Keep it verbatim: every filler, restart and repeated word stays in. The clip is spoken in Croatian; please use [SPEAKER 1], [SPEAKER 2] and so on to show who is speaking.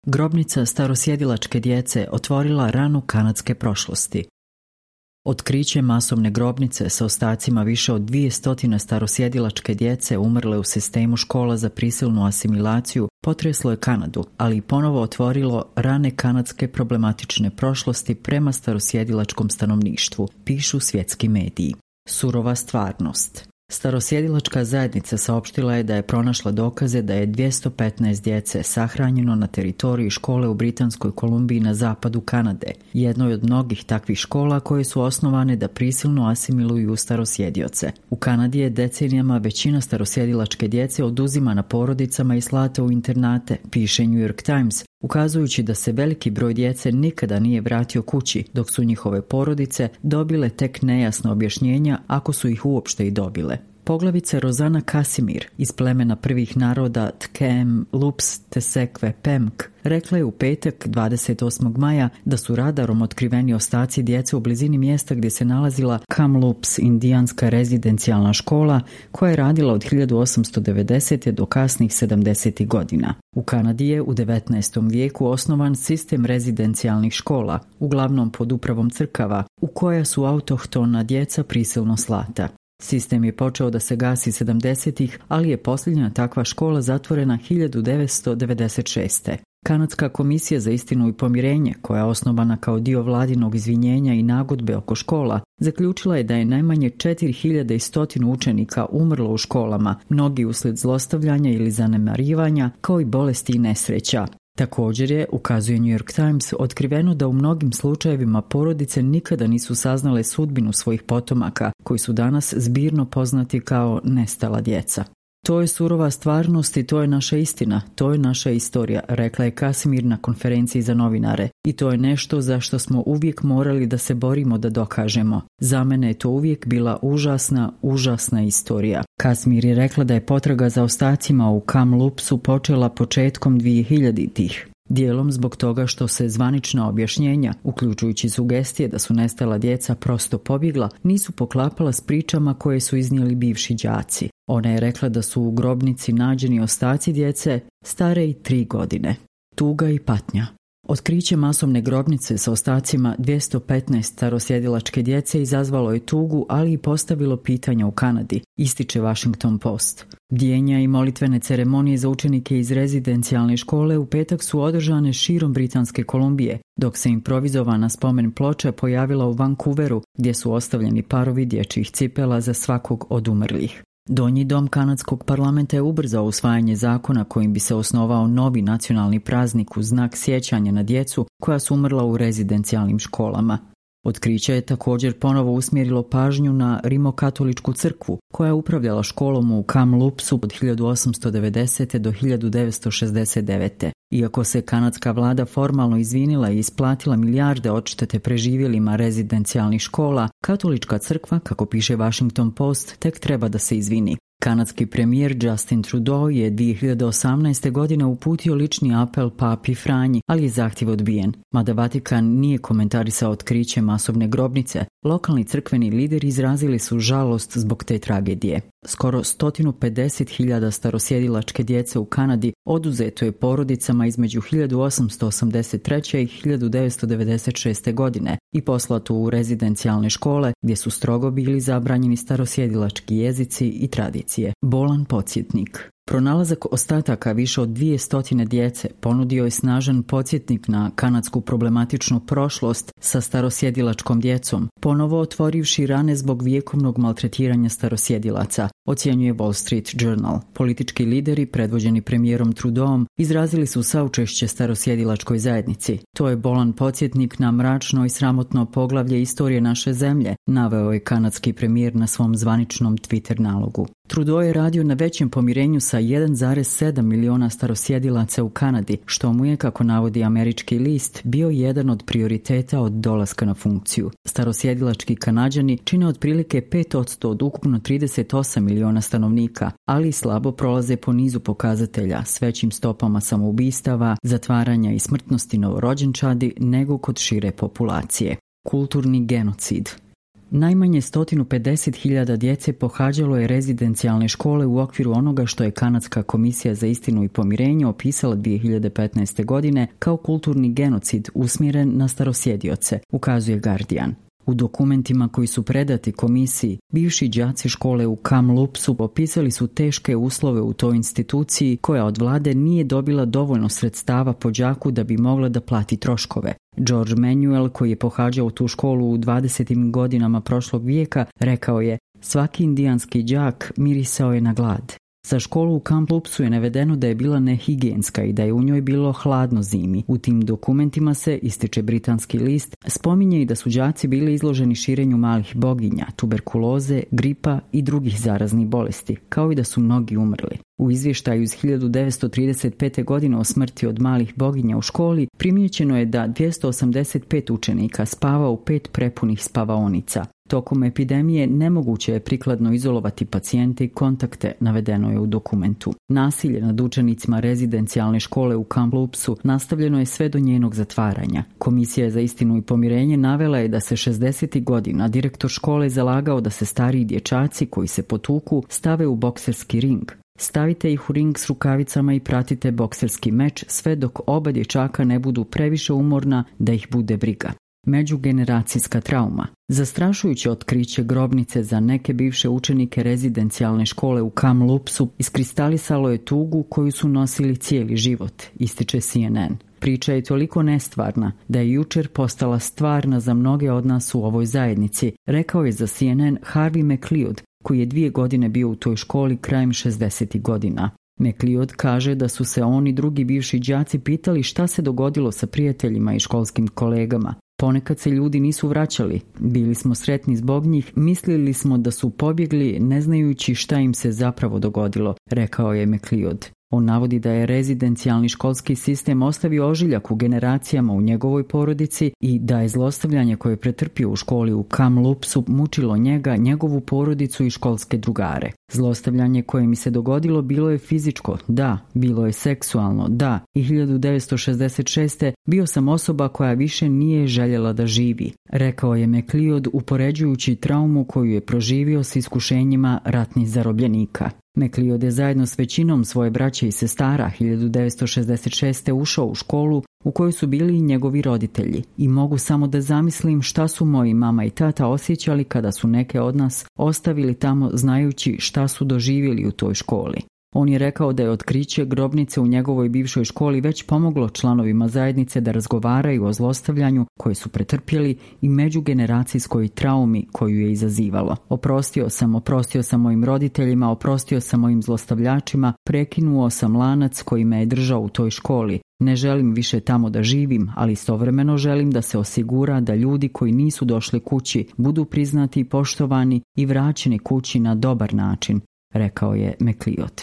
[SPEAKER 1] Grobnica starosjedilačke djece otvorila ranu kanadske prošlosti. Otkriće masovne grobnice sa ostacima više od dvije stotine starosjedilačke djece umrle u sistemu škola za prisilnu asimilaciju potreslo je Kanadu, ali i ponovo otvorilo rane kanadske problematične prošlosti prema starosjedilačkom stanovništvu, pišu svjetski mediji. Surova stvarnost. Starosjedilačka zajednica saopštila je da je pronašla dokaze da je dvjesto petnaest djece sahranjeno na teritoriji škole u Britanskoj Kolumbiji na zapadu Kanade, jednoj od mnogih takvih škola koje su osnovane da prisilno asimiluju starosjedioce. U Kanadi je decenijama većina starosjedilačke djece oduzimana porodicama i slata u internate, piše New York Times, ukazujući da se veliki broj djece nikada nije vratio kući, dok su njihove porodice dobile tek nejasna objašnjenja ako su ih uopšte i dobile. Poglavica Rozana Kasimir iz plemena prvih naroda Tkem, Lups, Tesekve, Pemk rekla je u petak dvadeset osmog maja da su radarom otkriveni ostaci djece u blizini mjesta gdje se nalazila Kamloops indijanska rezidencijalna škola koja je radila od hiljadu osamsto devedesete do kasnih sedamdesetih godina. U Kanadi je u devetnaestom vijeku osnovan sistem rezidencijalnih škola, uglavnom pod upravom crkava, u koja su autohtona djeca prisilno slata. Sistem je počeo da se gasi sedamdesetih, ali je posljednja takva škola zatvorena hiljadu devetsto devedeset šeste. Kanadska komisija za istinu i pomirenje, koja je osnovana kao dio vladinog izvinjenja i nagodbe oko škola, zaključila je da je najmanje četiri hiljade sto učenika umrlo u školama, mnogi uslijed zlostavljanja ili zanemarivanja, kao i bolesti i nesreća. Također je, ukazuje New York Times, otkriveno da u mnogim slučajevima porodice nikada nisu saznale sudbinu svojih potomaka, koji su danas zbirno poznati kao nestala djeca. To je surova stvarnost i to je naša istina, to je naša istorija, rekla je Kasimir na konferenciji za novinare. I to je nešto za što smo uvijek morali da se borimo da dokažemo. Za mene je to uvijek bila užasna, užasna istorija. Kasimir je rekla da je potraga za ostacima u Kamloopsu počela početkom dvijehiljaditih. Dijelom zbog toga što se zvanična objašnjenja, uključujući sugestije da su nestala djeca prosto pobjegla, nisu poklapala s pričama koje su iznijeli bivši đaci. Ona je rekla da su u grobnici nađeni ostaci djece stare i tri godine. Tuga i patnja. Otkriće masovne grobnice sa ostacima dvjesto petnaest starosjedilačke djece izazvalo je tugu, ali i postavilo pitanja u Kanadi, ističe Washington Post. Bdijenja i molitvene ceremonije za učenike iz rezidencijalne škole u petak su održane širom Britanske Kolumbije, dok se improvizovana spomen ploča pojavila u Vancouveru, gdje su ostavljeni parovi dječjih cipela za svakog od umrlih. Donji dom kanadskog parlamenta je ubrzao usvajanje zakona kojim bi se osnovao novi nacionalni praznik u znak sjećanja na djecu koja su umrla u rezidencijalnim školama. Otkriće je također ponovo usmjerilo pažnju na rimokatoličku crkvu, koja je upravljala školom u Kamloopsu od hiljadu osamsto devedesete do hiljadu devetsto šezdeset devete. Iako se kanadska vlada formalno izvinila i isplatila milijarde odštete preživjelima rezidencijalnih škola, katolička crkva, kako piše Washington Post, tek treba da se izvini. Kanadski premijer Justin Trudeau je dvije hiljade osamnaeste. godine uputio lični apel papi Franji, ali je zahtjev odbijen. Mada Vatikan nije komentarisao otkriće masovne grobnice, lokalni crkveni lideri izrazili su žalost zbog te tragedije. Skoro sto pedeset hiljada starosjedilačke djece u Kanadi oduzeto je porodicama između hiljadu osamsto osamdeset treće. i hiljadu devetsto devedeset šeste. godine i poslato u rezidencijalne škole gdje su strogo bili zabranjeni starosjedilački jezici i tradicije. Bolan podsjetnik. Pronalazak ostataka više od dvije stotine djece ponudio je snažan podsjetnik na kanadsku problematičnu prošlost sa starosjedilačkom djecom, ponovo otvorivši rane zbog vjekovnog maltretiranja starosjedilaca, ocjenjuje Wall Street Journal. Politički lideri, predvođeni premijerom Trudeauom, izrazili su saučešće starosjedilačkoj zajednici. To je bolan podsjetnik na mračno i sramotno poglavlje istorije naše zemlje, naveo je kanadski premijer na svom zvaničnom Twitter nalogu. Trudeau je radio na većem pomirenju sa jedan zarez sedam miliona starosjedilaca u Kanadi, što mu je, kako navodi američki list, bio jedan od prioriteta od dolaska na funkciju. Starosjedilački Kanađani čine otprilike pet posto od ukupno trideset osam miliona stanovnika, ali slabo prolaze po nizu pokazatelja s većim stopama samoubistava, zatvaranja i smrtnosti novorođenčadi nego kod šire populacije. Kulturni genocid. Najmanje sto pedeset hiljada djece pohađalo je rezidencijalne škole u okviru onoga što je Kanadska komisija za istinu i pomirenje opisala dvije hiljade petnaeste. godine kao kulturni genocid usmjeren na starosjedioce, ukazuje Guardian. U dokumentima koji su predati komisiji, bivši đaci škole u Kamlupsu opisali su teške uslove u toj instituciji koja od vlade nije dobila dovoljno sredstava po đaku da bi mogla da plati troškove. George Manuel, koji je pohađao tu školu u dvadesetim godinama prošlog vijeka, rekao je: svaki indijanski đak mirisao je na glad. Za školu u Kamlupsu je navedeno da je bila nehigijenska i da je u njoj bilo hladno zimi. U tim dokumentima se, ističe britanski list, spominje i da su đaci bili izloženi širenju malih boginja, tuberkuloze, gripa i drugih zaraznih bolesti, kao i da su mnogi umrli. U izvještaju iz hiljadu devetsto trideset pete. godine o smrti od malih boginja u školi primijećeno je da dvjesto osamdeset pet učenika spava u pet prepunih spavaonica. Tokom epidemije nemoguće je prikladno izolovati pacijente i kontakte, navedeno je u dokumentu. Nasilje nad učenicima rezidencijalne škole u Kamlupsu nastavljeno je sve do njenog zatvaranja. Komisija za istinu i pomirenje navela je da se šezdesetih godina direktor škole zalagao da se stariji dječaci koji se potuku stave u bokserski ring. Stavite ih u ring s rukavicama i pratite bokserski meč sve dok oba dječaka ne budu previše umorna da ih bude briga. Međugeneracijska trauma. Zastrašujuće otkriće grobnice za neke bivše učenike rezidencijalne škole u Kamlupsu iskristalisalo je tugu koju su nosili cijeli život, ističe C N N. Priča je toliko nestvarna da je jučer postala stvarna za mnoge od nas u ovoj zajednici, rekao je za C N N Harvey McLeod, koji je dvije godine bio u toj školi krajem šezdesetih godina. McLeod kaže da su se oni drugi bivši đaci pitali šta se dogodilo sa prijateljima i školskim kolegama. Ponekad se ljudi nisu vraćali, bili smo sretni zbog njih, mislili smo da su pobjegli ne znajući šta im se zapravo dogodilo, rekao je McLeod. On navodi da je rezidencijalni školski sistem ostavio ožiljak u generacijama u njegovoj porodici i da je zlostavljanje koje je pretrpio u školi u Kamlupsu mučilo njega, njegovu porodicu i školske drugare. Zlostavljanje koje mi se dogodilo bilo je fizičko, da, bilo je seksualno, da, i hiljadu devetsto šezdeset šeste. bio sam osoba koja više nije željela da živi, rekao je McLeod upoređujući traumu koju je proživio s iskušenjima ratnih zarobljenika. McLeod je zajedno s većinom svoje braće i sestara hiljadu devetsto šezdeset šeste. ušao u školu u kojoj su bili i njegovi roditelji i mogu samo da zamislim šta su moji mama i tata osjećali kada su neke od nas ostavili tamo znajući šta su doživjeli u toj školi. On je rekao da je otkriće grobnice u njegovoj bivšoj školi već pomoglo članovima zajednice da razgovaraju o zlostavljanju koje su pretrpjeli i međugeneracijskoj traumi koju je izazivalo. Oprostio sam, oprostio sam mojim roditeljima, oprostio sam mojim zlostavljačima, prekinuo sam lanac koji me je držao u toj školi. Ne želim više tamo da živim, ali istovremeno želim da se osigura da ljudi koji nisu došli kući budu priznati i poštovani i vraćeni kući na dobar način, rekao je McLeod.